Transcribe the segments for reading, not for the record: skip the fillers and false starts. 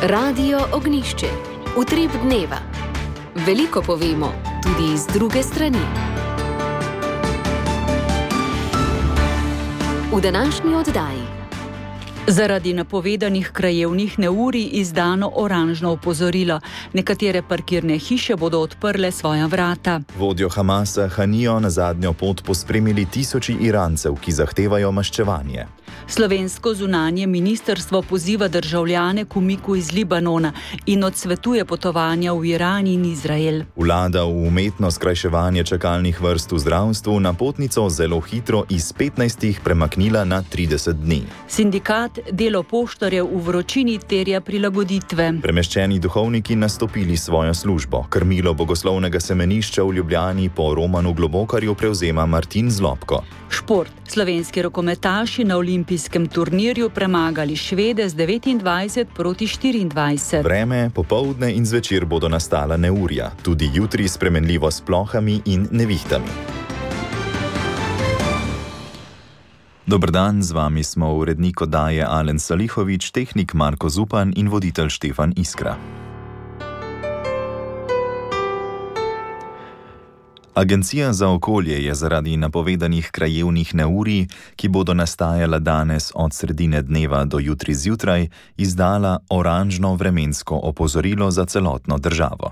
Radio Ognišče. Utrip dneva. Veliko povemo, tudi iz druge strani. V današnji oddaji. Zaradi napovedanih krajevnih neurij izdano oranžno opozorilo. Nekatere parkirne hiše bodo odprle svoja vrata. Vodjo Hamasa Hanijo na zadnjo pot pospremili tisoči Irancev, ki zahtevajo maščevanje. Slovensko zunanje ministrstvo poziva državljane k umiku iz Libanona in odsvetuje potovanja v Iran in Izrael. Vlada v umetno skrajševanje čakalnih vrst v zdravstvu napotnico zelo hitro iz 15 premaknila na 30 dni. Sindikat delo poštarjev v vročini terja prilagoditve. Premeščeni duhovniki nastopili svojo službo. Krmilo bogoslovnega semenišča v Ljubljani po Romanu Globokarju prevzema Martin Zlobko. Šport. Slovenski rokometaši na olimpijskem turnirju premagali Švede z 29-24. Vreme, popoldne in zvečer bodo nastala neurja. Tudi jutri spremenljivo s plohami in nevihtami. Dober dan, z vami smo urednik oddaje Alen Salihovič, tehnik Marko Zupan in voditelj Štefan Iskra. Agencija za okolje je zaradi napovedanih krajevnih neurij, ki bodo nastajala danes od sredine dneva do jutri zjutraj, izdala oranžno vremensko opozorilo za celotno državo.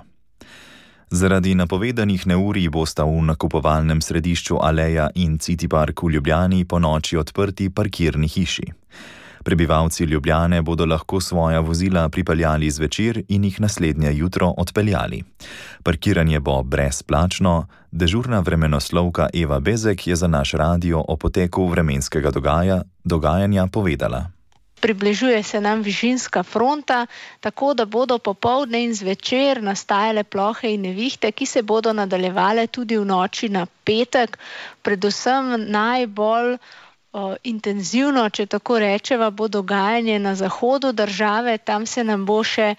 Zaradi napovedanih neurij bosta v nakupovalnem središču Aleja in City Park v Ljubljani ponoči odprti parkirni hiši. Prebivalci Ljubljane bodo lahko svoja vozila pripeljali zvečer in jih naslednje jutro odpeljali. Parkiranje bo brezplačno. Dežurna vremenoslovka Eva Bezek je za naš radio o poteku vremenskega dogajanja povedala. Približuje se nam višinska fronta, tako da bodo popoldne in zvečer nastajale plohe in nevihte, ki se bodo nadaljevale tudi v noči na petek. Predvsem najbolj intenzivno, če tako rečeva, bo dogajanje na zahodu države. Tam se nam bo še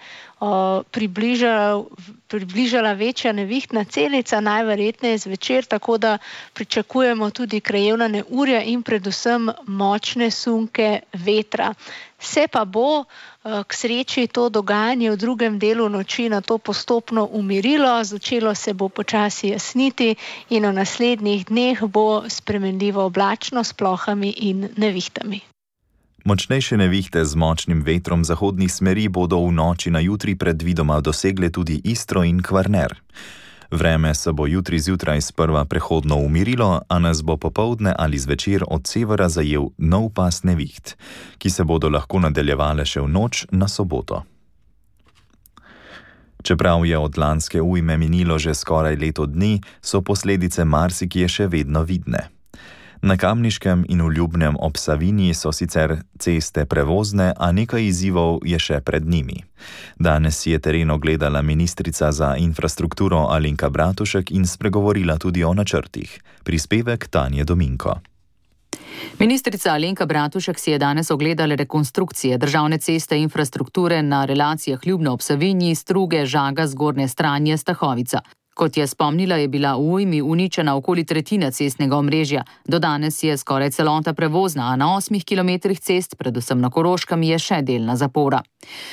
približala večja nevihtna celica, najverjetneje zvečer, tako da pričakujemo tudi krajevna neurja in predvsem močne sunke vetra. Se pa bo k sreči to dogajanje v drugem delu noči na to postopno umirilo, začelo se bo počasi jasniti in v naslednjih dneh bo spremenljivo oblačno s plohami in nevihtami. Močnejše nevihte z močnim vetrom zahodnih smeri bodo v noči na jutri predvidoma dosegle tudi Istro in Kvarner. Vreme se bo jutri zjutraj sprva prehodno umirilo, a nas bo popoldne ali zvečer od severa zajel nov pas neviht, ki se bodo lahko nadaljevale še v noč na soboto. Čeprav je od lanske ujme minilo že skoraj leto dni, so posledice marsikje še vedno vidne. Na Kamniškem in v Ljubnem ob Savinji so sicer ceste prevozne, a nekaj izzivov je še pred njimi. Danes si je teren ogledala ministrica za infrastrukturo Alenka Bratušek in spregovorila tudi o načrtih. Prispevek Tanje Dominko. Ministrica Alenka Bratušek si je danes ogledala rekonstrukcije državne ceste infrastrukture na relacijah Ljubno ob Savinji, Struge, Žaga, Zgornje Stranje, Stahovica. Kot je spomnila, je bila v ujmi uničena okoli tretjina cestnega omrežja. Do danes je skoraj celota prevozna, a na 8 kilometrih cest, predvsem na Koroškem, je še delna zapora.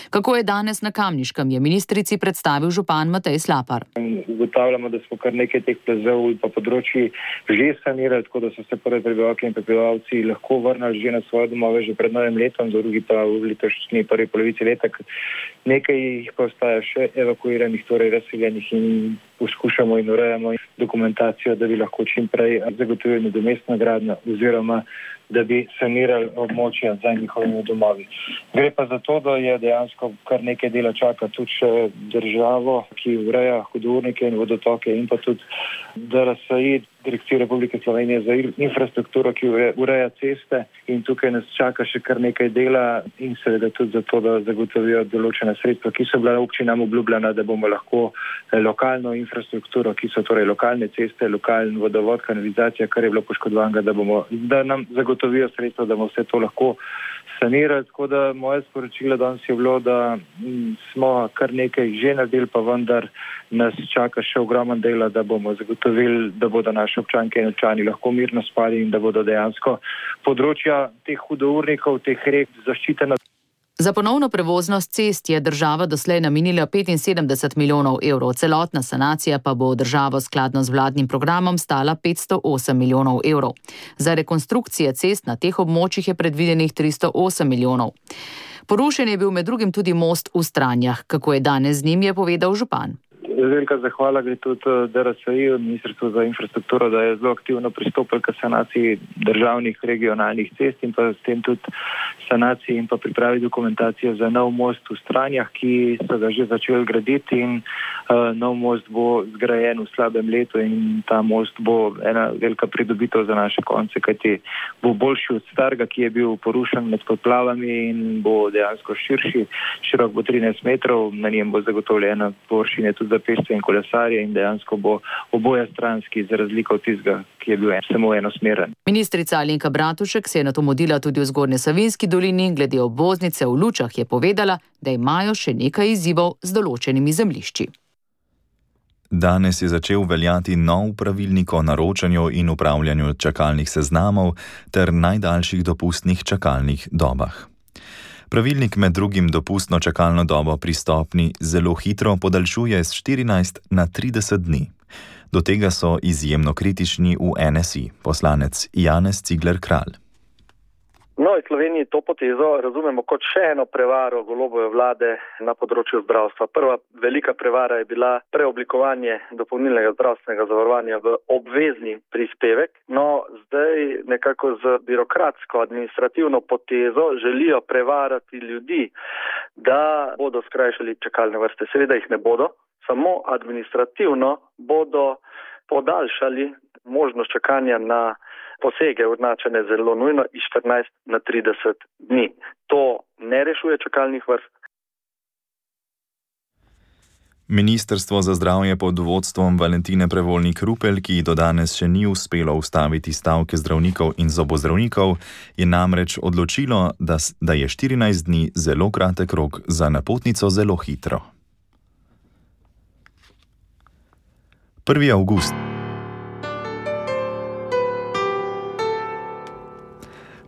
Kako je danes na Kamniškem, je ministrici predstavil župan Matej Slapar. Ugotavljamo, da smo kar nekaj teh plazov in pa področji že sanirali, tako da so se prve prebivalke in prebivalci lahko vrnili že na svoje domove že pred novim letom, drugi pa v letošnji prvi polovici leta. Nekaj jih pa ostaja še evakuiranih, torej razseljenih, in poskušamo in urejamo dokumentacijo, da bi lahko čim prej zagotovili nadomestno gradnjo oziroma da bi sanirali območja za njihovimi domovi. Gre pa za to, da je dejansko kar nekaj dela čaka tudi še državo, ki ureja hudournike in vodotoke, in pa tudi DRSI, Direkcija Republike Slovenije za infrastrukturo, ki ureja ceste, in tukaj nas čaka še kar nekaj dela in seveda tudi za to, da zagotovijo določena sredstva, ki so bila občinam obljubljena, da bomo lahko lokalno infrastrukturo, ki so torej lokalne ceste, lokalni vodovod, kanalizacija, kar je bilo poškodovanega, da nam zagotovijo sredstva, da bomo vse to lahko sanirali. Tako da moje sporočilo danes je bilo, da smo kar nekaj že naredili, pa vendar nas čaka še ogromen dela, da bomo zagotovili, da bodo naši občanke in občani lahko mirno spali in da bodo dejansko področja teh hudournikov, teh rek zaščitena. Za ponovno prevoznost cest je država doslej namenila 75 milijonov evrov, celotna sanacija pa bo državo skladno z vladnim programom stala 508 milijonov evrov. Za rekonstrukcije cest na teh območjih je predvidenih 308 milijonov. Porušen je bil med drugim tudi most v Stranjah. Kako je danes z njim, je povedal župan. Velika zahvala gre tudi DRSI, Ministrstvo za infrastrukturo, da je zelo aktivno pristopilo k sanaciji državnih regionalnih cest in pa s tem tudi sanaciji in pa pripravi dokumentacijo za nov most v Stranjah, ki so ga že začeli graditi in nov most bo zgrajen v slabem letu in ta most bo ena velika pridobitev za naše konce, kajti bo boljši od starega, ki je bil porušen med poplavami in bo dejansko širši, širok bo 13 metrov, na njem bo zagotovljena površina tudi za pešce in kolesarje in dejansko bo oboje stranski, za razliko od tistega, ki je bil samo enosmeren. Ministrica Alenka Bratušek se je nato modila tudi v Zgornje Savinjski dolini, glede obvoznice v Lučah je povedala, da imajo še nekaj izzivov z določenimi zemljišči. Danes je začel veljati nov pravilnik o naročanju in upravljanju čakalnih seznamov ter najdaljših dopustnih čakalnih dobah. Pravilnik med drugim dopustno čakalno dobo pri stopnji zelo hitro podaljšuje z 14 na 30 dni. Do tega so izjemno kritični v NSI, poslanec Janez Cigler-Kralj. V Novi Sloveniji to potezo razumemo kot še eno prevaro Golobove vlade na področju zdravstva. Prva velika prevara je bila preoblikovanje dopolnilnega zdravstvenega zavarovanja v obvezni prispevek. No, zdaj nekako z birokratsko administrativno potezo želijo prevarati ljudi, da bodo skrajšali čakalne vrste. Seveda jih ne bodo, samo administrativno bodo podaljšali možnost čakanja na posege označene zelo nujno iz 14 na 30 dni. To ne rešuje čakalnih vrst. Ministrstvo za zdravje pod vodstvom Valentine Prevolnik Rupel, ki do danes še ni uspelo ustaviti stavke zdravnikov in zobozdravnikov, je namreč odločilo, da je 14 dni zelo kratek rok za napotnico zelo hitro. 1. avgust.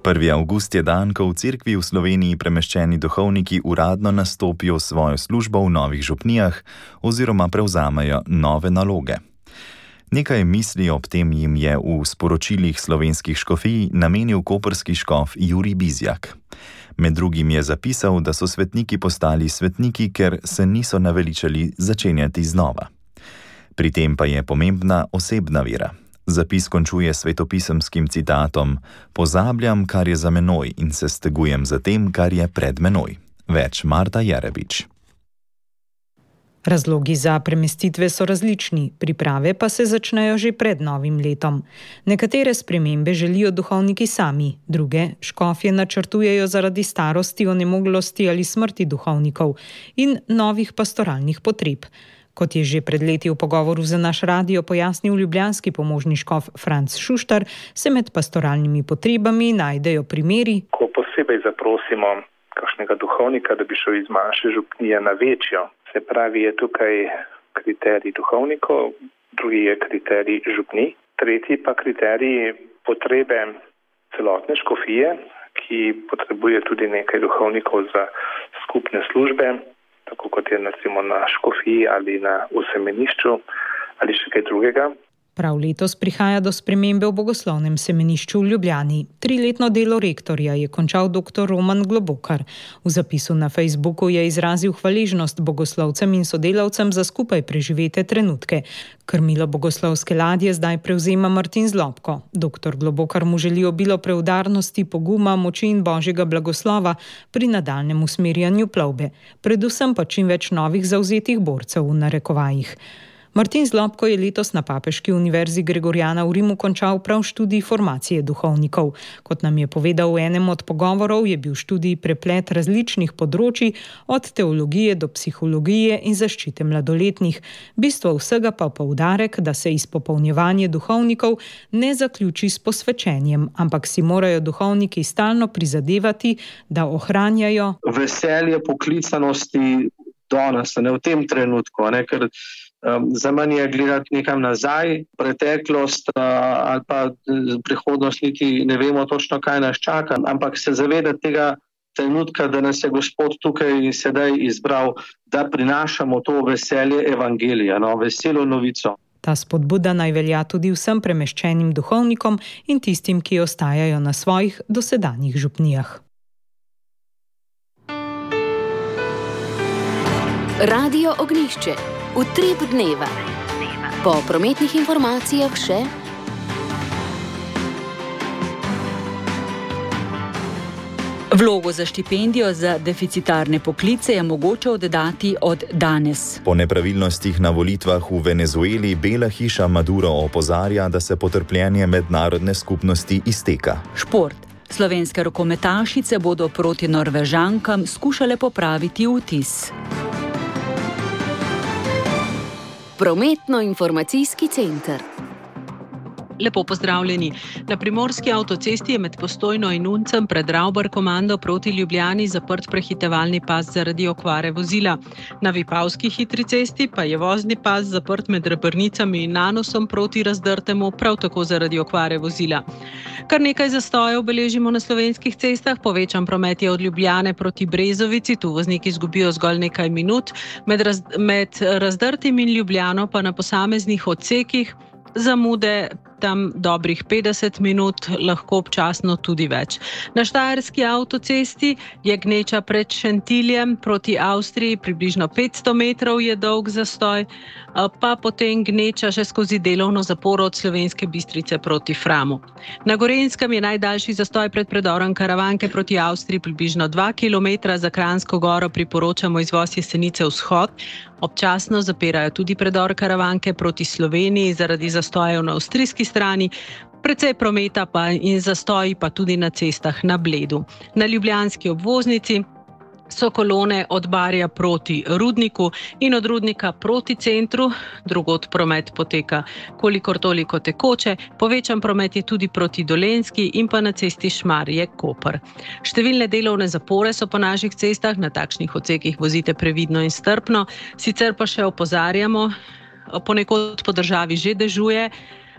1. avgust je dan, ko v cerkvi v Sloveniji premeščeni duhovniki uradno nastopijo svojo službo v novih župnijah oziroma prevzamejo nove naloge. Nekaj misli ob tem jim je v sporočilih slovenskih škofij namenil koprski škof Jurij Bizjak. Med drugim je zapisal, da so svetniki postali svetniki, ker se niso naveličali začenjati znova. Pri tem pa je pomembna osebna vera. Zapis končuje svetopisemskim citatom: "Pozabljam, kar je za menoj in se stegujem za tem, kar je pred menoj." Več Marta Jerebič. Razlogi za premestitve so različni, priprave pa se začnejo že pred novim letom. Nekatere spremembe želijo duhovniki sami, druge škofje načrtujejo zaradi starosti, onemoglosti ali smrti duhovnikov in novih pastoralnih potreb. Kot je že pred leti v pogovoru za naš radio pojasnil ljubljanski pomožni škof Franc Šuštar, se med pastoralnimi potrebami najdejo primeri, ko posebej zaprosimo kakšnega duhovnika, da bi šel iz manjše župnije na večjo. Se pravi, je tukaj kriterij duhovnikov, drugi je kriterij župnij, tretji pa kriterij potrebe celotne škofije, ki potrebuje tudi nekaj duhovnikov za skupne službe, tako kot je recimo na škofiji ali na semenišču ali še kaj drugega. Prav letos prihaja do spremembe v bogoslovnem semenišču v Ljubljani. 3-letno delo rektorja je končal dr. Roman Globokar. V zapisu na Facebooku je izrazil hvaležnost bogoslovcem in sodelavcem za skupaj preživete trenutke. Krmilo bogoslovske ladje zdaj prevzema Martin Zlobko. Dr. Globokar mu želi obilo preudarnosti, poguma, moči in božjega blagoslova pri nadaljnjem usmerjanju plovbe. Predvsem pa čim več novih zavzetih borcev v narekovajih. Martin Zlobko je letos na Papeški univerzi Gregorjana v Rimu končal prav študij formacije duhovnikov. Kot nam je povedal v enem od pogovorov, je bil študij preplet različnih področij, od teologije do psihologije in zaščite mladoletnih. Bistvo vsega pa poudarek, da se izpopolnjevanje duhovnikov ne zaključi s posvečenjem, ampak si morajo duhovniki stalno prizadevati, da ohranjajo veselje poklicanosti danes, ne v tem trenutku, ne, ker za manj je gledati nekam nazaj, preteklost ali pa prihodnost, niti ne vemo točno, kaj nas čaka, ampak se zavedati tega trenutka, da nas je Gospod tukaj sedaj izbral, da prinašamo to veselje evangelija, veselo novico. Ta spodbuda naj velja tudi vsem premeščenim duhovnikom in tistim, ki ostajajo na svojih dosedanjih župnijah. Radio Ognjišče. Utrip dneva. Po prometnih informacijah še... Vlogo za štipendijo za deficitarne poklice je mogoče oddati od danes. Po nepravilnostih na volitvah v Venezueli Bela hiša Maduro opozarja, da se potrpljenje mednarodne skupnosti izteka. Šport. Slovenske rokometašice bodo proti Norvežankam skušale popraviti vtis. Prometno-informacijski center. Lepo pozdravljeni. Na primorski avtocesti je med Postojno in Uncem pred Ravbar komando proti Ljubljani zaprt prehitevalni pas zaradi okvare vozila. Na Vipavski hitri cesti pa je vozni pas zaprt med Rebrnicami in Nanosom proti Razdrtemu, prav tako zaradi okvare vozila. Kar nekaj zastojev beležimo na slovenskih cestah, povečan promet je od Ljubljane proti Brezovici, tu vozniki izgubijo zgolj nekaj minut, med Razdrtim in Ljubljano pa na posameznih odsekih zamude tam dobrih 50 minut, lahko občasno tudi več. Na štajerski avtocesti je gneča pred Šentiljem proti Avstriji, približno 500 metrov je dolg zastoj, pa potem gneča še skozi delovno zaporo od Slovenske Bistrice proti Framu. Na Gorenjskem je najdaljši zastoj pred predorom Karavanke proti Avstriji približno 2 km, za Kranjsko goro priporočamo izvoz Jesenice vzhod. Občasno zapirajo tudi predor Karavanke proti Sloveniji zaradi zastojev na avstrijski strani, precej prometa pa in zastoji pa tudi na cestah na Bledu. Na ljubljanski obvoznici so kolone od Barja proti Rudniku in od Rudnika proti centru, drugod promet poteka kolikor toliko tekoče, povečan promet je tudi proti Dolenjski in pa na cesti Šmarje-Koper. Številne delovne zapore so po naših cestah, na takšnih odsekih vozite previdno in strpno, sicer pa še opozarjamo, ponekod po državi že dežuje,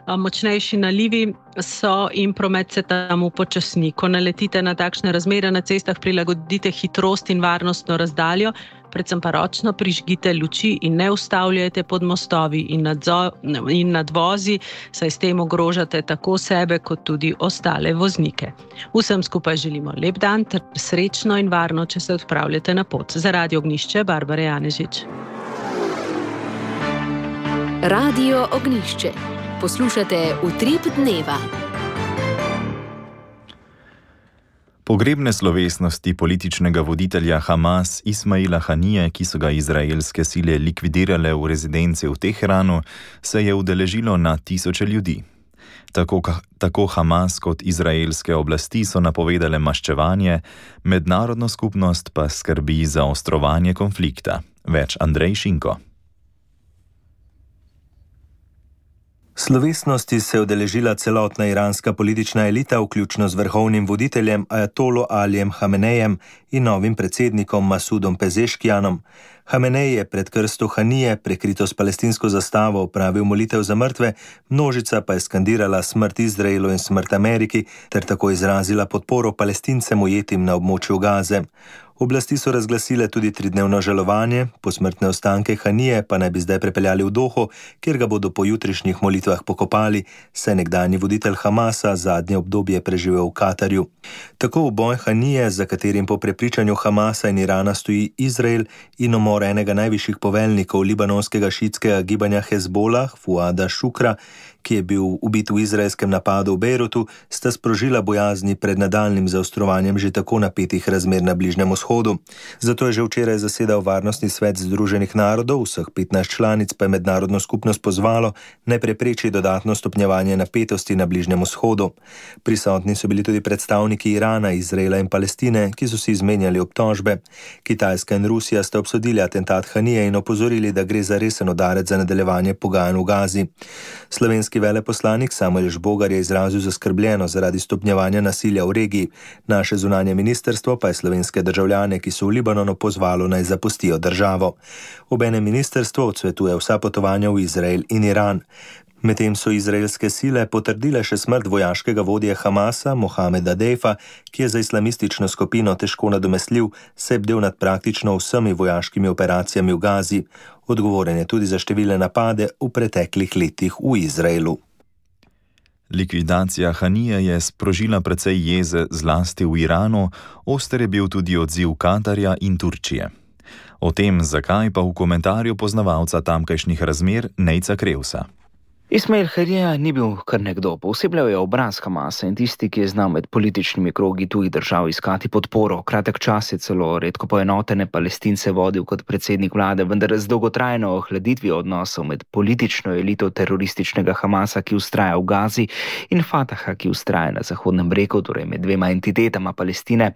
močnejši nalivi so in promet se tam upočasni. Ko naletite na takšne razmere na cestah, prilagodite hitrost in varnostno razdaljo, predvsem pa ročno prižgite luči in ne ustavljajte pod mostovi in nadvozi, saj s tem ogrožate tako sebe kot tudi ostale voznike. Vsem skupaj želimo lep dan ter srečno in varno, če se odpravljate na pot. Za Radio Ognjišče, Barbara Janežič. Radio Ognjišče. Poslušate Utrip dneva. Pogrebne slovesnosti političnega voditelja Hamas Ismaila Hanije, ki so ga izraelske sile likvidirale v rezidenci v Teheranu, se je udeležilo na tisoče ljudi. Tako Hamas kot izraelske oblasti so napovedale maščevanje, mednarodno skupnost pa skrbi za ostrovanje konflikta. Več Andrej Šinko. Slovesnosti se je udeležila celotna iranska politična elita, vključno z vrhovnim voditeljem ajatolo Alijem Hamenejem in novim predsednikom Masudom Pezeškijanom. Hamenej je pred krsto Hanije, prekrito s palestinsko zastavo, opravil molitev za mrtve, množica pa je skandirala smrt Izraelu in smrt Ameriki ter tako izrazila podporo Palestincem ujetim na območju Gaze. Oblasti so razglasile tudi 3-dnevno žalovanje, posmrtne ostanke Hanije pa naj bi zdaj prepeljali v Doho, kjer ga bodo po jutrišnjih molitvah pokopali, saj nekdanji voditelj Hamasa zadnje obdobje preživel v Katarju. Tako uboj Hanije, za katerim po prepričanju Hamasa in Irana stoji Izrael, in umor enega najvišjih poveljnikov libanonskega šiitskega gibanja Hezbolah, Fuada Šukra, ki je bil ubit v izraelskem napadu v Bejrutu, sta sprožila bojazni pred nadaljnjim zaostrovanjem že tako napetih razmer na Bližnjem vzhodu. Zato je že včeraj zasedal Varnostni svet Združenih narodov, vseh 15 članic pa je mednarodno skupnost pozvalo, naj prepreči dodatno stopnjevanje napetosti na Bližnjem vzhodu. Prisotni so bili tudi predstavniki Irana, Izraela in Palestine, ki so si izmenjali obtožbe. Kitajska in Rusija sta obsodili atentat Hanije in opozorili, da gre za resen udarec za nadaljevanje pogajanj v Gazi. Slovenski veleposlanik Samuel Žbogar je izrazil zaskrbljenost zaradi stopnjevanja nasilja v regiji. Naše zunanje ministrstvo pa je slovenske državljane državljane, ki so v Libanonu, pozvalo naj zapustijo državo. Obenem ministrstvo odsvetuje vsa potovanja v Izrael in Iran. Medtem so izraelske sile potrdile še smrt vojaškega vodje Hamasa, Mohameda Dejfa, ki je za islamistično skupino težko nadomestljiv, saj je bdel nad praktično vsemi vojaškimi operacijami v Gazi. Odgovoren je tudi za številne napade v preteklih letih v Izraelu. Likvidacija Hanije je sprožila precej jeze zlasti v Iranu, oster je bil tudi odziv Katarja in Turčije. O tem, zakaj, pa v komentarju poznavalca tamkajšnjih razmer Nejca Krevsa. Ismail Hanija ni bil kar nekdo, posebljal je obraz Hamasa in tisti, ki je znal med političnimi krogi tujih držav iskati podporo. Kratek čas je celo redko poenotene Palestince vodil kot predsednik vlade, vendar z dolgotrajno ohladitvijo odnosov med politično elito terorističnega Hamasa, ki vztraja v Gazi, in Fataha, ki vztraja na Zahodnem bregu, torej med dvema entitetama Palestine,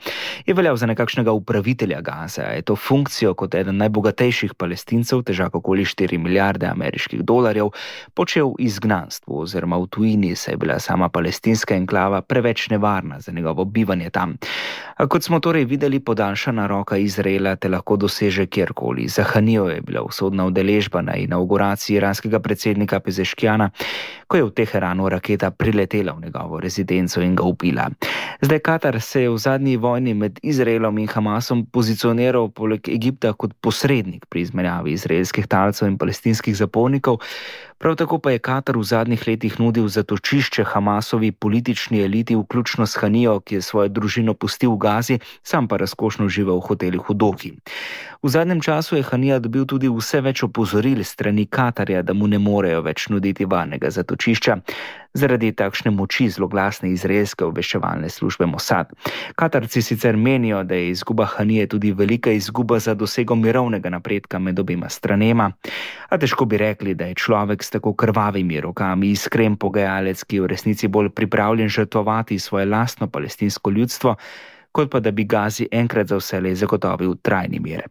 je veljal za nekakšnega upravitelja Gaze. Je to funkcijo kot eden najbogatejših Palestincev, težak okoli 4 milijarde ameriških dolarjev, počel izgnanstvu oziroma v tujini, saj je bila sama palestinska enklava preveč nevarna za njegovo bivanje tam. A kot smo torej videli, podaljšana roka Izraela te lahko doseže kjerkoli. Za Hanijo je bila usodna udeležba na inauguraciji iranskega predsednika Pezeškijana, ko je v Teheranu raketa priletela v njegovo rezidenco in ga ubila. Zdaj Katar se je v zadnji vojni med Izraelom in Hamasom pozicioniral poleg Egipta kot posrednik pri izmenjavi izraelskih talcev in palestinskih zapornikov. Prav tako pa je Katar v zadnjih letih nudil zatočišče Hamasovi politični eliti, vključno s Hanijo, ki je svojo družino pustil v Gazi, sam pa razkošno živel v hotelih v Dohi. V zadnjem času je Hanija dobil tudi vse več opozoril strani Katarja, da mu ne morejo več nuditi varnega zatočišča zaradi takšne moči zloglasne izraelske obveščevalne službe Mossad. Katarci sicer menijo, da je izguba Hanije tudi velika izguba za dosego mirovnega napredka med obema stranema, a težko bi rekli, da je človek s tako krvavimi rokami iskren pogajalec, ki je v resnici bolj pripravljen žrtvovati svoje lastno palestinsko ljudstvo, kot pa da bi Gazi enkrat za vselej zagotovil trajni mir.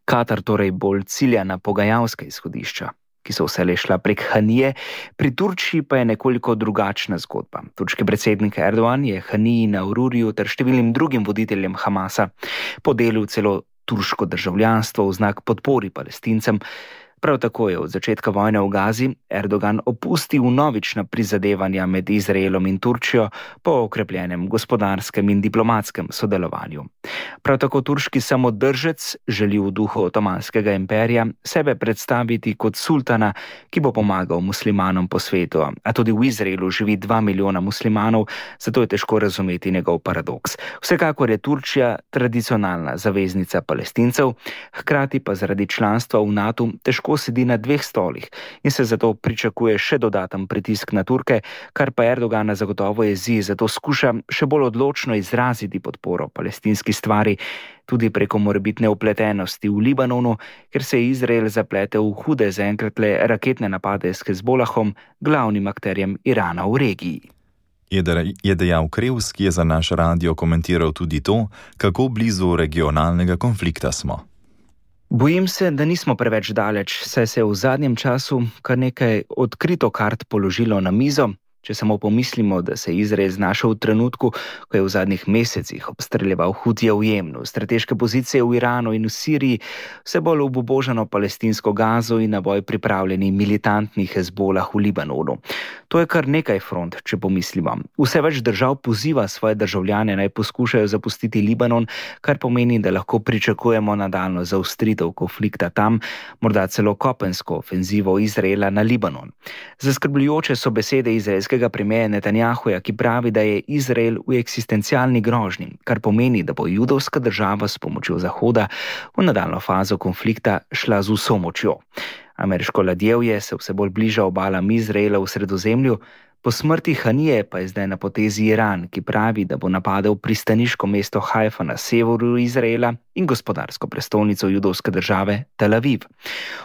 Katar torej bolj cilja na pogajalska izhodišča, ki so vselej šla prek Hanije, pri Turčiji pa je nekoliko drugačna zgodba. Turški predsednik Erdogan je Haniji na Ururiju ter številnim drugim voditeljem Hamasa podelil celo turško državljanstvo v znak podpori Palestincem. Prav tako je od začetka vojne v Gazi Erdogan opustil vnovična prizadevanja med Izraelom in Turčijo po okrepljenem gospodarskem in diplomatskem sodelovanju. Prav tako turški samodržec želi v duhu Otomanskega imperija sebe predstaviti kot sultana, ki bo pomagal muslimanom po svetu, a tudi v Izraelu živi 2 milijona muslimanov, zato je težko razumeti njegov paradoks. Vsekakor je Turčija tradicionalna zaveznica Palestincev, hkrati pa zaradi članstva v NATO težko sedi na 2 stolih in se zato pričakuje še dodaten pritisk na Turke, kar pa Erdogana zagotovo jezi, zato skuša še bolj odločno izraziti podporo palestinski stvari, tudi preko morebitne vpletenosti v Libanonu, ker se je Izrael zapletel v hude zaenkrat le raketne napade s Hezbolahom, glavnim akterjem Irana v regiji. Je dejal Krevs, ki je za naš radio komentiral tudi to, kako blizu regionalnega konflikta smo. Bojim se, da nismo preveč daleč, saj se je v zadnjem času kar nekaj odkrito kart položilo na mizo. Če samo pomislimo, da se je Izrael znašel v trenutku, ko je v zadnjih mesecih obstreljeval Hutije v Jemnu, strateške pozicije v Iranu in v Siriji, vse bolj obubožano palestinsko Gazo in na boj pripravljeni militantni Hezbolah v Libanonu. To je kar nekaj front, če pomislimo. Vse več držav poziva svoje državljane naj poskušajo zapustiti Libanon, kar pomeni, da lahko pričakujemo nadaljnjo zaostritev konflikta tam, morda celo kopensko ofenzivo Izraela na Libanon. Zaskrbljujoče so besede izraelskega premierja Netanjahuja, ki pravi, da je Izrael v eksistencialni grožnji, kar pomeni, da bo judovska država s pomočjo Zahoda v nadaljnjo fazo konflikta šla z vso močjo. Ameriško ladjevje se vse bolj bliža obalam Izraela v Sredozemlju, po smrti Hanije pa je zdaj na potezi Iran, ki pravi, da bo napadel pristaniško mesto Haifa na severu Izraela in gospodarsko prestolnico judovske države Tel Aviv.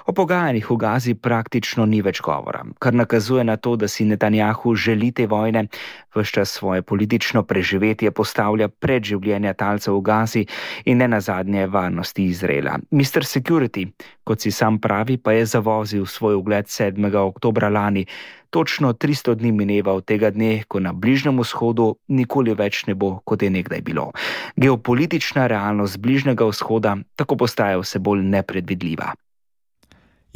O pogajanjih v Gazi praktično ni več govora, kar nakazuje na to, da si Netanjahu želi te vojne, ves čas svoje politično preživetje postavlja pred življenja talcev v Gazi in ne nazadnje varnosti Izraela. Mr. Security, kot si sam pravi, pa je zavozil svoj ugled 7. oktobra lani, Točno 300 dni mineva od tega dne, ko na Bližnjem vzhodu nikoli več ne bo, kot je nekdaj bilo. Geopolitična realnost Bližnjega vzhoda tako postaja vse bolj nepredvidljiva.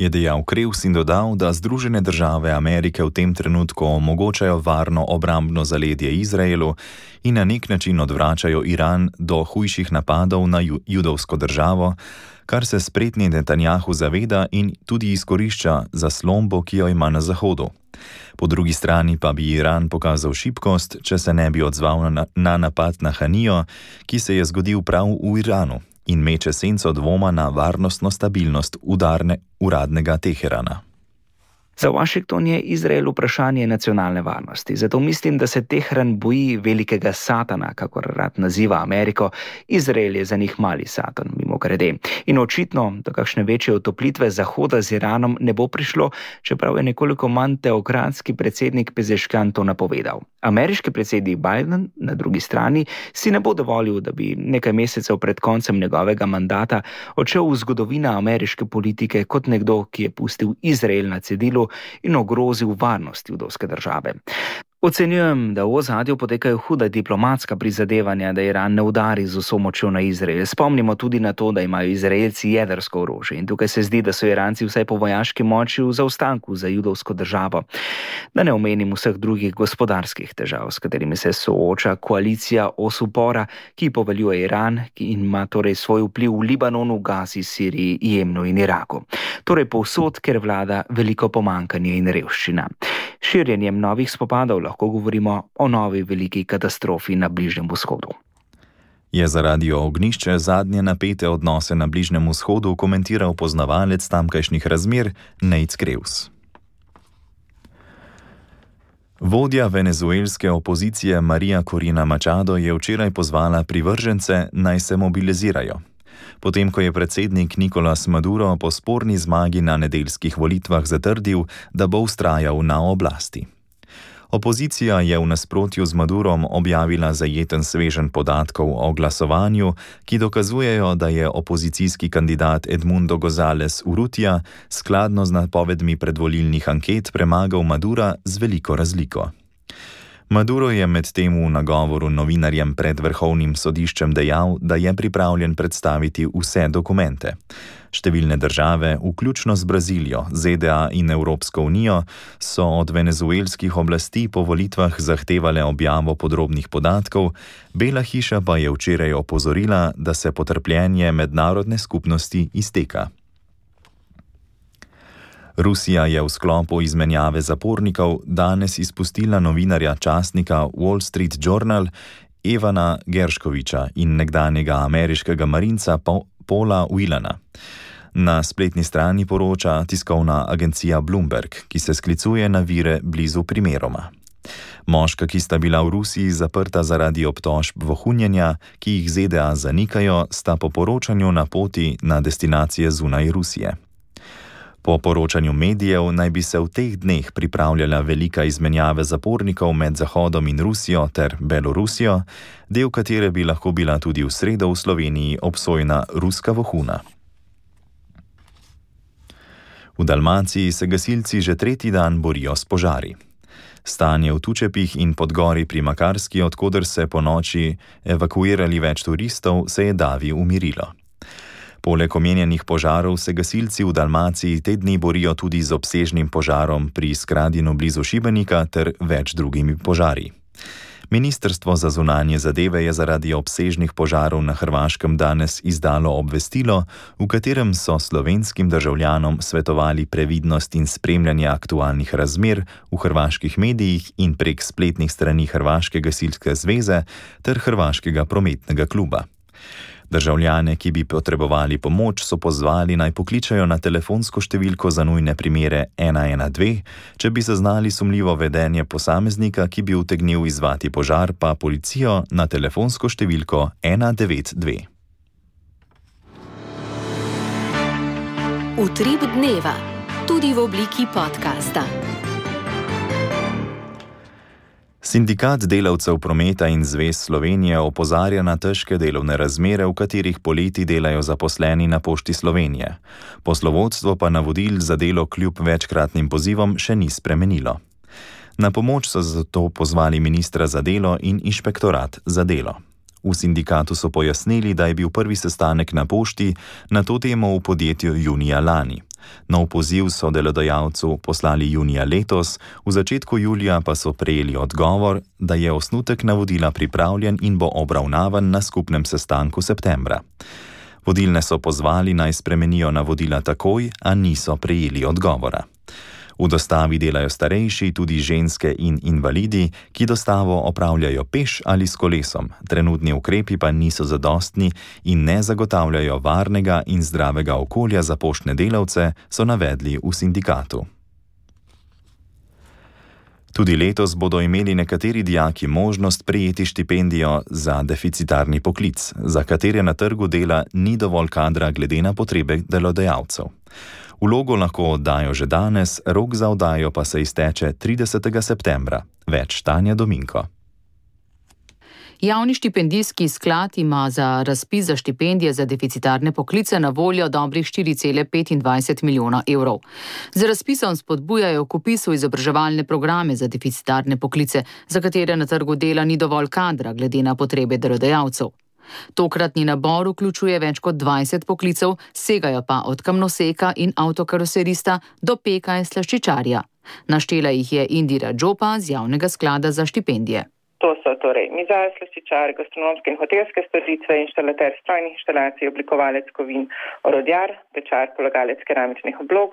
Je dejal Krevs in dodal, da Združene države Amerike v tem trenutku omogočajo varno obrambno zaledje Izraelu in na nek način odvračajo Iran do hujših napadov na judovsko državo, kar se spretni Netanjahu zaveda in tudi izkorišča zaslombo, ki jo ima na Zahodu. Po drugi strani pa bi Iran pokazal šibkost, če se ne bi odzval na napad na Hanijo, ki se je zgodil prav v Iranu, in meče senco dvoma na varnostno stabilnost uradnega Teherana. Za Washington je Izrael vprašanje nacionalne varnosti, zato mislim, da se Teheran boji velikega satana, kakor rad naziva Ameriko. Izrael je za njih mali satan, mimogrede. In očitno, da kakšne večje otoplitve Zahoda z Iranom ne bo prišlo, čeprav je nekoliko manj teokratski predsednik Pezeškian to napovedal. Ameriški predsednik Biden, na drugi strani, si ne bo dovolil, da bi nekaj mesecev pred koncem njegovega mandata odšel v zgodovino ameriške politike kot nekdo, ki je pustil Izrael na cedilu in ogrozil varnost judovske države. Ocenjujem, da v ozadju potekajo huda diplomatska prizadevanja, da Iran ne udari z vso močjo na Izrael. Spomnimo tudi na to, da imajo Izraelci jedrsko orožje in tukaj se zdi, da so Iranci vsaj po vojaški moči v zaostanku za judovsko državo. Da ne omenim vseh drugih gospodarskih težav, s katerimi se sooča koalicija os upora, ki poveljuje Iran in ima torej svoj vpliv v Libanonu, Gazi, Siriji, Jemnu in Iraku. Torej povsod, ker vlada veliko pomanjkanje in revščina. Širjenjem novih spopadov lahko govorimo o novi veliki katastrofi na Bližnjem vzhodu. Je za Radio Ognjišče zadnje napete odnose na Bližnjem vzhodu komentiral poznavalec tamkajšnjih razmer Nejc Krevs. Vodja venezuelske opozicije Maria Corina Machado je včeraj pozvala privržence, naj se mobilizirajo. Potem, ko je predsednik Nicolás Maduro po sporni zmagi na nedeljskih volitvah zatrdil, da bo vztrajal na oblasti. Opozicija je v nasprotju z Madurom objavila zajeten sveženj podatkov o glasovanju, ki dokazujejo, da je opozicijski kandidat Edmundo González Urrutia skladno z napovedmi predvolilnih anket premagal Madura z veliko razliko. Maduro je medtem v nagovoru novinarjem pred Vrhovnim sodiščem dejal, da je pripravljen predstaviti vse dokumente. Številne države, vključno z Brazilijo, ZDA in Evropsko unijo, so od venezuelskih oblasti po volitvah zahtevale objavo podrobnih podatkov, Bela hiša pa je včeraj opozorila, da se potrpljenje mednarodne skupnosti izteka. Rusija je v sklopu izmenjave zapornikov danes izpustila novinarja časnika Wall Street Journal Evana Gershkoviča in nekdanjega ameriškega marinca Paula Whelana. Na spletni strani poroča tiskovna agencija Bloomberg, ki se sklicuje na vire blizu primeroma. Moška, ki sta bila v Rusiji zaprta zaradi obtožb vohunjenja, ki jih ZDA zanikajo, sta po poročanju na poti na destinacije zunaj Rusije. Po poročanju medijev naj bi se v teh dneh pripravljala velika izmenjava zapornikov med Zahodom in Rusijo ter Belorusijo, del katere bi lahko bila tudi v sredo v Sloveniji obsojena ruska vohuna. V Dalmaciji se gasilci že tretji dan borijo s požari. Stanje v Tučepih in Podgori pri Makarski, odkoder se po noči evakuirali več turistov, se je davi umirilo. Poleg omenjenih požarov se gasilci v Dalmaciji te dni borijo tudi z obsežnim požarom pri Skradinu blizu Šibenika ter več drugimi požari. Ministrstvo za zunanje zadeve je zaradi obsežnih požarov na Hrvaškem danes izdalo obvestilo, v katerem so slovenskim državljanom svetovali previdnost in spremljanje aktualnih razmer v hrvaških medijih in prek spletnih strani Hrvaške gasilske zveze ter Hrvaškega prometnega kluba. Državljane, ki bi potrebovali pomoč, so pozvali naj pokličajo na telefonsko številko za nujne primere 112, če bi zaznali sumljivo vedenje posameznika, ki bi utegnil izzvati požar, pa policijo na telefonsko številko 192. Utrip dneva, tudi v obliki podcasta. Sindikat delavcev prometa in zvez Slovenije opozarja na težke delovne razmere, v katerih poleti delajo zaposleni na Pošti Slovenije. Poslovodstvo pa navodil za delo kljub večkratnim pozivom še ni spremenilo. Na pomoč so zato pozvali ministra za delo in inšpektorat za delo. V sindikatu so pojasnili, da je bil prvi sestanek na pošti na to temo v podjetju junija lani. Nov poziv so delodajalcu poslali junija letos, v začetku julija pa so prejeli odgovor, da je osnutek navodila pripravljen in bo obravnavan na skupnem sestanku septembra. Vodilne so pozvali, naj spremenijo navodila takoj, a niso prejeli odgovora. V dostavi delajo starejši, tudi ženske in invalidi, ki dostavo opravljajo peš ali s kolesom. Trenutni ukrepi pa niso zadostni in ne zagotavljajo varnega in zdravega okolja za poštne delavce, so navedli v sindikatu. Tudi letos bodo imeli nekateri dijaki možnost prejeti štipendijo za deficitarni poklic, za katere na trgu dela ni dovolj kadra glede na potrebe delodajalcev. Vlogo lahko oddajo že danes, rok za oddajo pa se izteče 30. septembra. Več Tanja Dominko. Javni štipendijski sklad ima za razpis za štipendije za deficitarne poklice na voljo dobrih 4,25 milijona evrov. Z razpisom spodbujajo k vpisu izobraževalne programe za deficitarne poklice, za katere na trgu dela ni dovolj kadra glede na potrebe delodajalcev. Tokratni nabor vključuje več kot 20 poklicev, segajo pa od kamnoseka in avtokaroserista do peka in slaščičarja. Naštela jih je Indira Džopa z Javnega sklada za štipendije. To so torej mizar, slaščičar, gastronomske in hotelske storitve, inštalater strojnih inštalacij, oblikovalec kovin, orodjar, pečar, polagalec keramičnih oblog,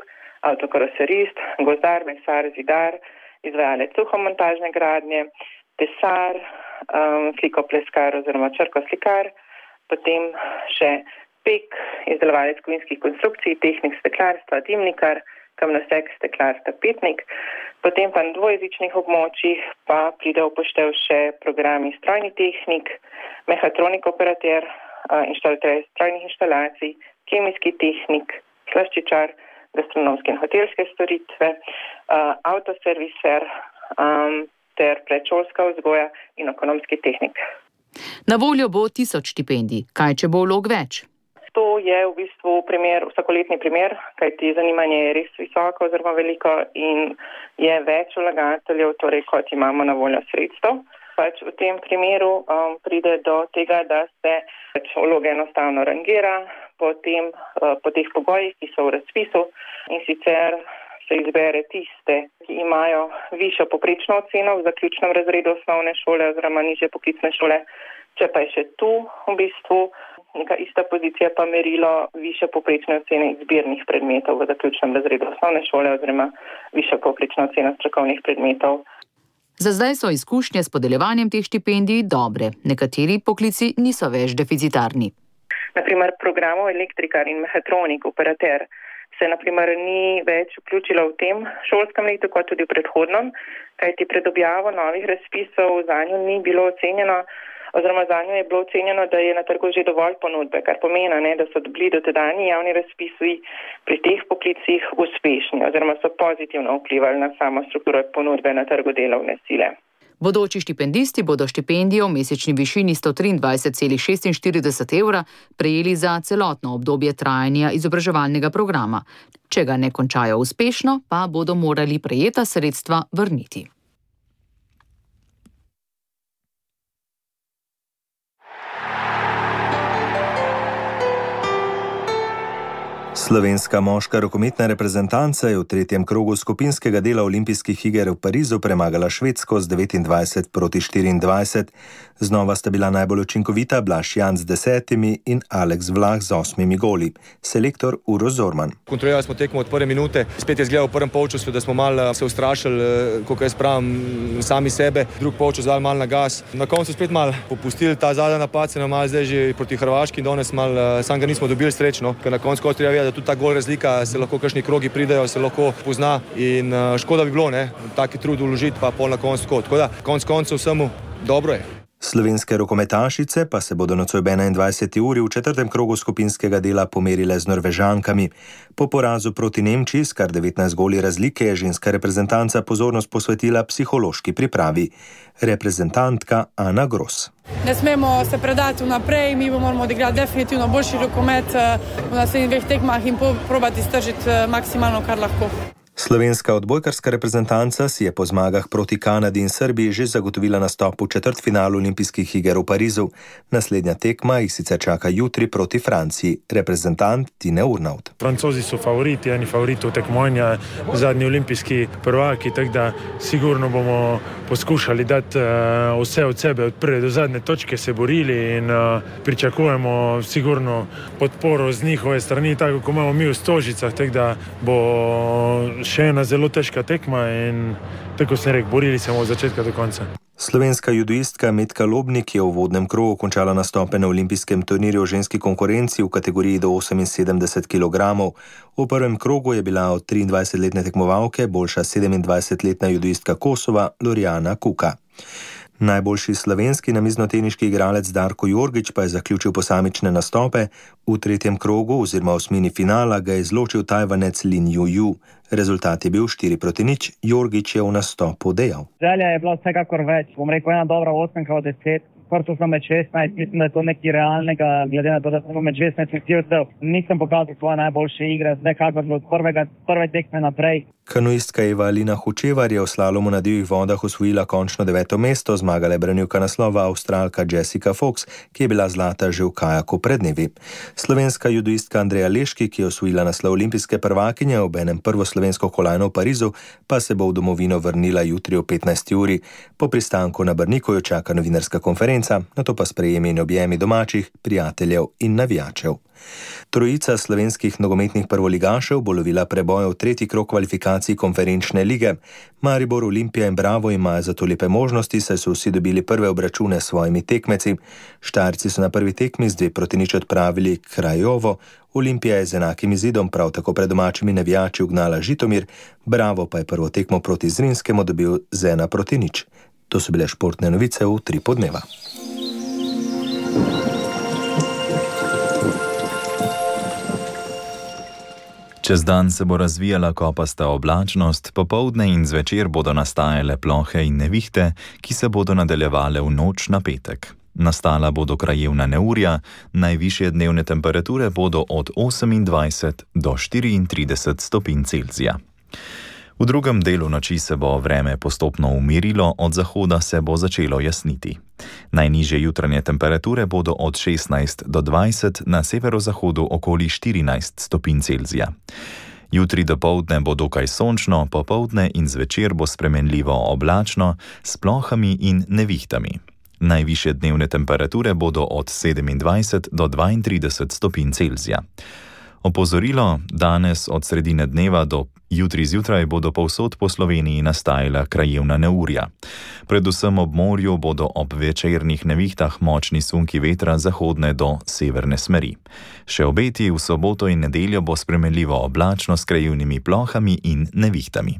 avtokaroserist, gozdar, mesar, zidar, izvajalec suhomontažne gradnje, tesar, slikopleskar oziroma črkoslikar, potem še pek, izdelovalec kovinskih konstrukcij, tehnik steklarstva, dimnikar, kamnosek, steklar, tapetnik. Potem pa na dvojezičnih območjih pa pride v poštev še programi strojni tehnik, mehatronik operater, inštalater strojnih inštalacij, kemijski tehnik, slaščičar, gastronomske in hotelske storitve, avtoserviser ter predšolska vzgoja in ekonomski tehnik. Na voljo bo 1000 štipendij. Kaj, če bo vlog več? To je v bistvu vsakoletni primer, kajti zanimanje je res visoko oziroma veliko in je več vlagateljev, torej kot imamo na voljo sredstev. V tem primeru pride do tega, da se vloge enostavno rangira po teh pogojih, ki so v razpisu, in sicer se izbere tiste, ki imajo višjo poprečno oceno v zaključnem razredu osnovne šole oziroma nižje poklicne šole. Če pa je še tu v bistvu neka ista pozicija pa merilo višje poprečne ocene izbirnih predmetov v zaključnem razredu osnovne šole oziroma višja poprečna ocena strokovnih predmetov. Za zdaj so izkušnje s podeljevanjem teh štipendij dobre. Nekateri poklici niso več deficitarni. Naprimer, programov elektrikar in mehatronik operater se naprimer ni več vključilo v tem šolskem letu kot tudi v predhodnem, kajti pred objavo novih razpisov zanjo ni bilo ocenjeno, oziroma zanjo je bilo ocenjeno, da je na trgu že dovolj ponudbe, kar pomeni, da so bili dotedanji javni razpisi pri teh poklicih uspešni oziroma so pozitivno vplivali na samo strukturo ponudbe na trgu delovne sile. Bodoči štipendisti bodo štipendijo v mesečni višini 123,46 evra prejeli za celotno obdobje trajanja izobraževalnega programa. Če ga ne končajo uspešno, pa bodo morali prejeta sredstva vrniti. Slovenska moška rokometna reprezentanca je v tretjem krogu skupinskega dela olimpijskih iger v Parizu premagala Švedsko z 29-24. Znova sta bila najbolj učinkovita Blaž Jan z 10 in Aleks Vlah z 8 goli. Selektor Uroš Zorman. Kontrolirali smo tekmo od prve minute. Spet je izgledal v prvem polčasu, da smo malo se ustrašili, koliko jaz pravim, sami sebe. Drug polčas dali malo na gas. Na koncu spet malo popustili. Ta zadnji napad se nam malo zdaj že proti Hrvaški in danes malo sam ga nismo dobili srečno, ker na koncu treba vedeti, da tudi ta gol razlika se lahko kakšni krogi pridejo, se lahko pozna in škoda bi bilo, taki trud vložiti pa pol na koncu tako. Tako da konc koncev vsemu dobro je. Slovenske rokometašice pa se bodo nocoj ob 21. uri v četrtem krogu skupinskega dela pomerile z Norvežankami. Po porazu proti Nemčiji s kar 19 goli razlike je ženska reprezentanca pozornost posvetila psihološki pripravi. Reprezentantka Ana Gros. Ne smemo se predati vnaprej, mi moramo odigrati definitivno boljši rokomet v naslednjih dveh tekmah in probati stržiti maksimalno, kar lahko. Slovenska odbojkarska reprezentanca si je po zmagah proti Kanadi in Srbiji že zagotovila nastop v četrtfinalu olimpijskih iger v Parizu. Naslednja tekma jih sicer čaka jutri proti Franciji. Reprezentant Tine Urnaut. Francozi so favoriti, eni favoriti tekmovanja, zadnji olimpijski prvaki, tako da sigurno bomo poskušali dati vse od sebe, od prve do zadnje točke se borili in pričakujemo sigurno podporo z njihove strani, tako kot imamo mi v Stožicah, tako da bo še ena zelo težka tekma in tako sem rekel, borili se bomo od začetka do konca. Slovenska judoistka Metka Lobnik je v uvodnem krogu končala nastope na olimpijskem turnirju v ženski konkurenci v kategoriji do 78 kg. V prvem krogu je bila od 23-letne tekmovalke boljša 27-letna judoistka Kosova Lorjana Kuka. Najboljši slovenski namiznoteniški igralec Darko Jorgič pa je zaključil posamične nastope. V tretjem krogu oziroma osmini finala ga je izločil Tajvanec Lin Juju. Rezultat je bil 4-0. Jorgič je v nastopu dejal. Želja je bila vsekakor več. Bom rekel, ena dobra 8 od 10. Prvo sem med 16, mislim, da je to nekaj realnega, glede na to, da sem med 16 nosilcev. Nisem pokazal svoje najboljše igre, zdaj kakor od prve tekme naprej. Kanuistka Eva Alina Hočevar je v slalomu na divjih vodah osvojila končno 9. mesto, zmagala je branilka naslova Avstralka Jessica Fox, ki je bila zlata že v kajaku pred dnevi. Slovenska judoistka Andreja Leški, ki je osvojila naslov olimpijske prvakinje, obenem prvo slovensko kolajno v Parizu, pa se bo v domovino vrnila jutri o 15. uri. Po pristanku na Brniku jo čaka novinarska konferenca, nato pa sprejemi in objemi domačih, prijateljev in navijačev. Trojica slovenskih nogometnih prvoligašev bo lovila preboj v tretji krog kvalifikacij konferenčne lige. Maribor, Olimpija in Bravo imajo zato lepe možnosti, saj so vsi dobili prve obračune s svojimi tekmeci. Štajerci so na prvi tekmi z 2-0 odpravili Krajovo, Olimpija je z enakim izidom prav tako pred domačimi navijači ugnala Žitomir, Bravo pa je prvo tekmo proti Zrinskemu dobil z 1-0. To so bile športne novice v 3 podneva. Čez dan se bo razvijala kopasta oblačnost, popoldne in zvečer bodo nastajale plohe in nevihte, ki se bodo nadaljevale v noč na petek. Nastala bodo krajevna neurja, najvišje dnevne temperature bodo od 28 do 34 stopinj Celzija. V drugem delu noči se bo vreme postopno umirilo, od zahoda se bo začelo jasniti. Najnižje jutranje temperature bodo od 16 do 20, na severozahodu okoli 14 stopinj Celzija. Jutri dopoldne bo dokaj sončno, popoldne in zvečer bo spremenljivo oblačno s plohami in nevihtami. Najvišje dnevne temperature bodo od 27 do 32 stopinj Celzija. Opozorilo, danes od sredine dneva do jutri zjutraj bodo povsod po Sloveniji nastajala krajevna neurja. Predvsem ob morju bodo ob večernih nevihtah močni sunki vetra zahodne do severne smeri. Še obeti v soboto in nedeljo bo spremenljivo oblačno s krajevnimi plohami in nevihtami.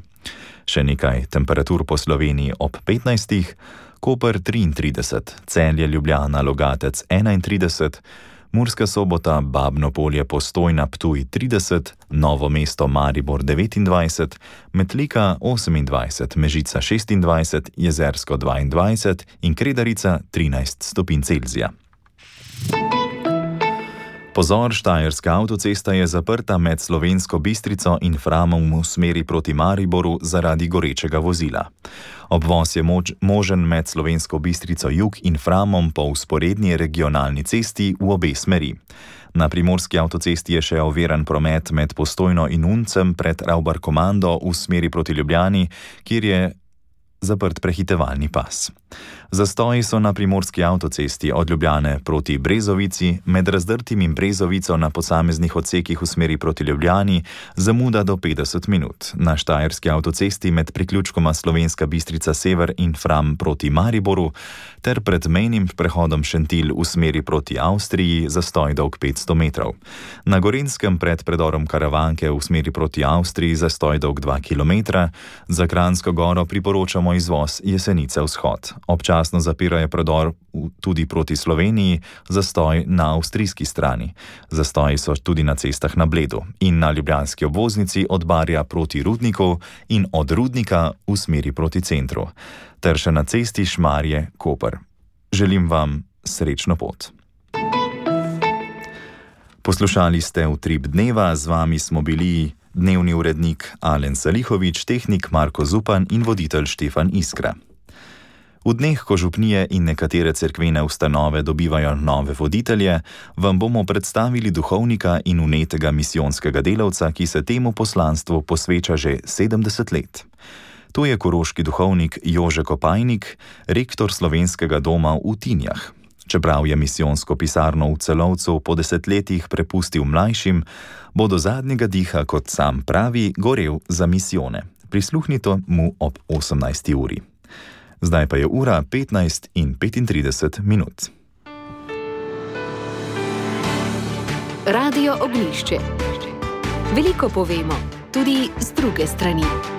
Še nekaj temperatur po Sloveniji ob 15, Koper 33, Celje, Ljubljana, Logatec 31, Murska Sobota, Babno Polje, Postojna, Ptuj 30, Novo mesto, Maribor 29, Metlika 28, Mežica 26, Jezersko 22 in Kredarica 13 stopinj Celzija. Pozor, štajerska avtocesta je zaprta med Slovensko Bistrico in Framom v smeri proti Mariboru zaradi gorečega vozila. Obvoz je možen med Slovensko Bistrico jug in Framom po vzporedni regionalni cesti v obe smeri. Na primorski avtocesti je še oviran promet med Postojno in Uncem pred Ravbarkomando v smeri proti Ljubljani, kjer je zaprt prehitevalni pas. Zastoji so na primorski avtocesti od Ljubljane proti Brezovici, med Razdrtim in Brezovico na posameznih odsekih v smeri proti Ljubljani zamuda do 50 minut. Na štajerski avtocesti med priključkoma Slovenska Bistrica sever in Fram proti Mariboru ter pred mejnim prehodom Šentilj v smeri proti Avstriji zastoj dolg 500 metrov. Na Gorenjskem pred predorom Karavanke v smeri proti Avstriji zastoj dolg 2 km. Za Kranjsko Goro priporočamo izvoz Jesenice vzhod. Občasno zapirajo predor tudi proti Sloveniji, zastoj na avstrijski strani. Zastoji so tudi na cestah na Bledu in na ljubljanski obvoznici od Barja proti Rudniku in od Rudnika v smeri proti centru, ter še na cesti Šmarje-Koper. Želim vam srečno pot. Poslušali ste Utrip dneva, z vami smo bili Dnevni urednik Alen Salihovič, tehnik Marko Zupan in voditelj Štefan Iskra. V dneh, ko župnije in nekatere cerkvene ustanove dobivajo nove voditelje, vam bomo predstavili duhovnika in vnetega misijonskega delavca, ki se temu poslanstvu posveča že 70 let. To je koroški duhovnik Jože Kopajnik, rektor Slovenskega doma v Tinjah. Čeprav je misijonsko pisarno v Celovcu po 10 letih prepustil mlajšim, bo do zadnjega diha, kot sam pravi, gorel za misijone. Prisluhnite mu ob 18. uri. Zdaj pa je ura 15:35. Radio Ognjišče. Veliko povemo, tudi z druge strani.